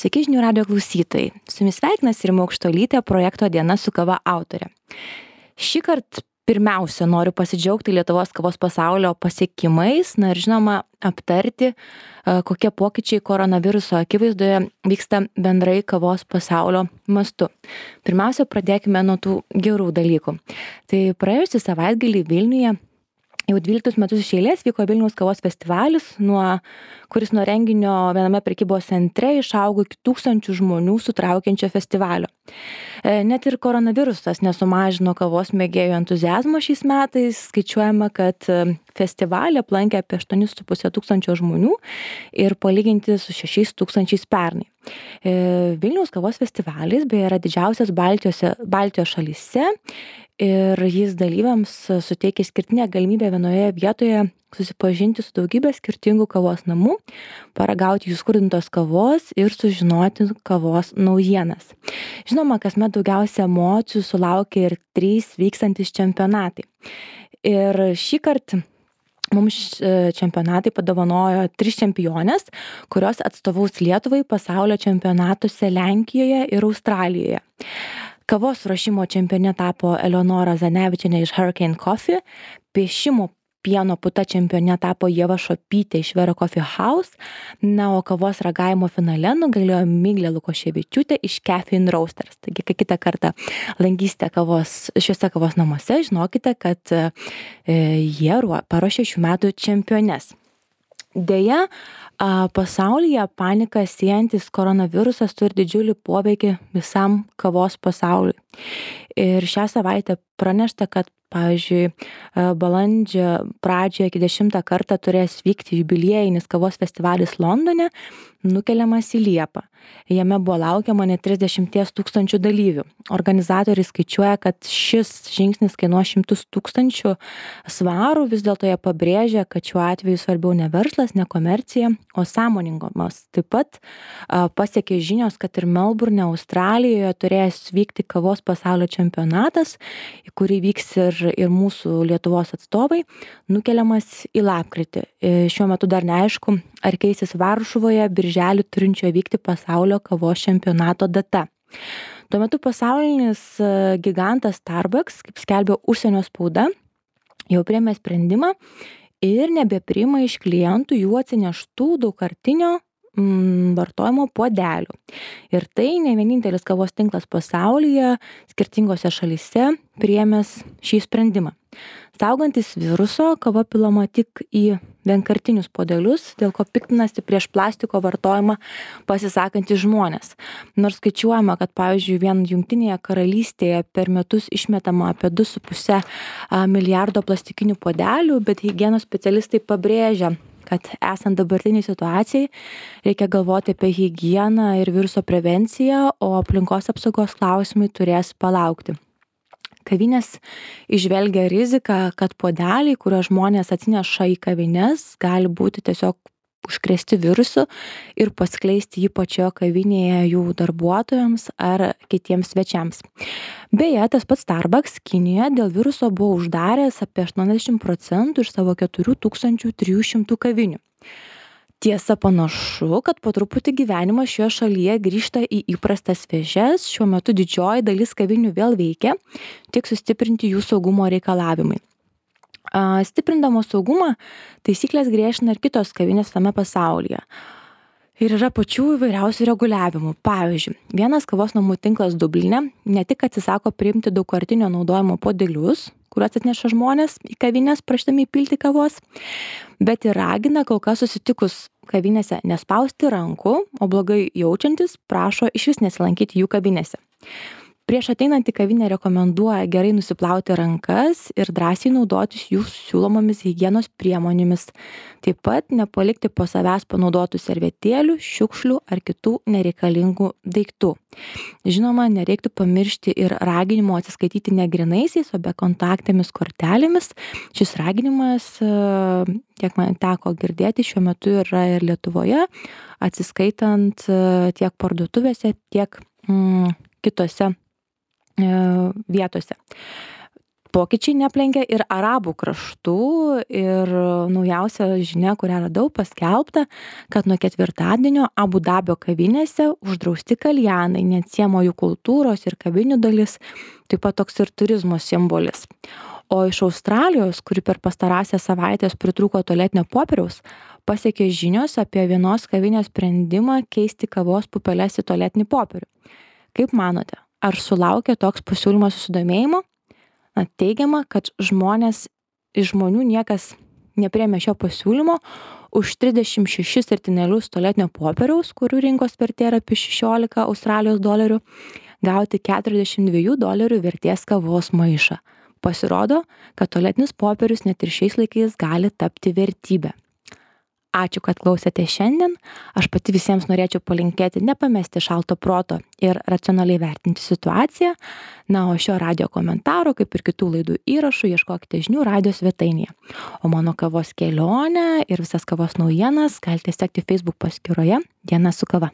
Sveiki žinių radio klausytojai. Su jumis sveikinasi Rima Aukštuolytė, projekto Diena su kava autorė. Šįkart pirmiausia noriu pasidžiaugti Lietuvos kavos pasaulio pasiekimais, ir žinoma aptarti, kokie pokyčiai koronaviruso akivaizdoje vyksta bendrai kavos pasaulio mastu. Pirmiausia, pradėkime nuo tų gerų dalykų. Tai praėjusį savaitgalį Vilniuje jau 12 metus iš eilės vyko Vilniaus kavos festivalis, kuris nuo renginio viename prekybos centre išaugo iki 1000 žmonių sutraukiančio festivalio. Net ir koronavirusas nesumažino kavos mėgėjų entuziazmo šiais metais. Skaičiuojama, kad festivalį aplankė apie 8,5 tūkstančio žmonių ir palyginti su 6 tūkstančiais pernai. Vilniaus kavos festivalis beje yra didžiausias Baltijos šalyse ir jis dalyviams suteikia išskirtinę galimybę vienoje vietoje susipažinti su daugybė skirtingų kavos namų, paragauti jų skrudintos kavos ir sužinoti kavos naujienas. Žinoma, kasmet daugiausia emocijų sulaukia ir 3 vykstantys čempionatai. Ir šįkart mums čempionatai padovanojo 3 čempionės, kurios atstovaus Lietuvai pasaulio čempionatuose Lenkijoje ir Australijoje. Kavos ruošimo čempione tapo Eleonora Zanevičienė iš Hurricane Coffee, piešimo pieno puta čempione tapo Ieva Šopytė iš Vero Coffee House, o kavos ragavimo finale nugalėjo Miglė Lukoševičiūtė iš Caffeine Roasters. Taigi, kai kitą kartą lankysite šiuose kavos namuose, žinokite, kad jie paruošė šių metų čempiones. Deja, pasaulyje paniką siejantis koronavirusas turi didžiulį poveikį visam kavos pasauliui. Ir šią savaitę pranešta, kad pavyzdžiui, balandžio pradžioje iki 10 kartą turės vykti jubiliejinis kavos festivalis Londone, nukeliamas į Liepą. Jame buvo laukiama net 30 tūkstančių dalyvių. Organizatoriai skaičiuoja, kad šis žingsnis kainuos 100 000 svarų, vis dėlto jie pabrėžia, kad šiuo atveju svarbiau ne verslas, ne komercija, o sąmoningumas. Taip pat pasiekė žinios, kad ir Melburne, Australijoje turės vykti kavos pasaulio čempionatas, į kurį vyks ir mūsų Lietuvos atstovai, nukeliamas į lapkritį. Šiuo metu dar neaišku, ar keisis Varšuvoje birželį turinčio vykti pasaulio kavos čempionato data. Tuo metu pasaulinis gigantas Starbucks, kaip skelbia užsienio spauda, jau priėmė sprendimą ir nebepriima iš klientų jų atsineštų daugkartinio vartojimo puodelių. Ir tai ne vienintelis kavos tinklas pasaulyje, skirtingose šalyse priėmęs šį sprendimą. Saugantis viruso, kava pilama tik į vienkartinius puodelius, dėl ko piktinasi prieš plastiko vartojimą pasisakantys žmonės. Nors skaičiuojama, kad pavyzdžiui vien Jungtinėje karalystėje per metus išmetama apie 2,5 milijardo plastikinių puodelių, bet higienos specialistai pabrėžia, kad esant dabartiniai situacijai reikia galvoti apie higieną ir viruso prevenciją, o aplinkos apsaugos klausimai turės palaukti. Kavinės įžvelgia riziką, kad puodeliai, kuriuos žmonės atsineša į kavines, gali būti tiesiog užkrėsti virusu ir paskleisti jį pačioje kavinėje jų darbuotojams ar kitiems svečiams. Beje, tas pats Starbucks Kinijoje dėl viruso buvo uždaręs apie 80% iš savo 4300 kavinių. Tiesa, panašu, kad po truputį gyvenimas šioje šalyje grįžta į įprastas vėžes. Šiuo metu didžioji dalis kavinių vėl veikia, tik sustiprinti jų saugumo reikalavimai. Stiprindamos saugumą, taisyklės griežtina ir kitos kavinės tame pasaulyje. Ir yra pačių įvairiausių reguliavimų. Pavyzdžiui, vienas kavos namų tinklas Dubline ne tik atsisako priimti daugkartinio naudojimo puodelius, kuriuos atneša žmonės į kavinės prašydami įpilti kavos, bet ir ragina kol kas susitikus kavinėse nespausti rankų, o blogai jaučiantis prašo išvis nesilankyti jų kavinėse. Prieš ateinant į kavinę rekomenduoja gerai nusiplauti rankas ir drąsiai naudotis jų siūlomomis higienos priemonėmis. Taip pat nepalikti po savęs panaudotų servetėlių, šiukšlių ar kitų nereikalingų daiktų. Žinoma, nereiktų pamiršti ir raginimo atsiskaityti ne grynaisiais, o bekontaktėmis kortelėmis. Šis raginimas, kiek man teko girdėti, šiuo metu yra ir Lietuvoje, atsiskaitant tiek parduotuvėse, tiek kitose vietose. Pokyčiai neaplenkia ir arabų kraštų ir naujausia žinia, kurią radau paskelbta, kad nuo ketvirtadienio Abu Dabio kavinėse uždrausti kaljanai, neatsiejama jų kultūros ir kavinių dalis, taip pat toks ir turizmo simbolis. O iš Australijos, kuri per pastarąsias savaitės pritrūko tualetinio popieriaus, pasiekė žinios apie vienos kavinės sprendimą keisti kavos pupeles į tualetinį popierių. Kaip manote, ar sulaukė toks pasiūlymas susidomėjimo? Teigiama, kad iš žmonių niekas nepriėmė šio pasiūlymo už 36 sertinėlius tualetinio popieriaus, kurių rinkos vertė yra apie 16 Australijos dolerių, gauti $42 vertės kavos maišą. Pasirodo, kad tualetinis popierius net ir šiais laikais gali tapti vertybė. Ačiū, kad klausėte šiandien. Aš pati visiems norėčiau palinkėti nepamesti šalto proto ir racionaliai vertinti situaciją. Na, o šio radijo komentaro, kaip ir kitų laidų įrašų, ieškokite žinių radijo svetainėje. O mano kavos kelionę ir visas kavos naujienas galite sekti Facebook paskyroje Diena su kava.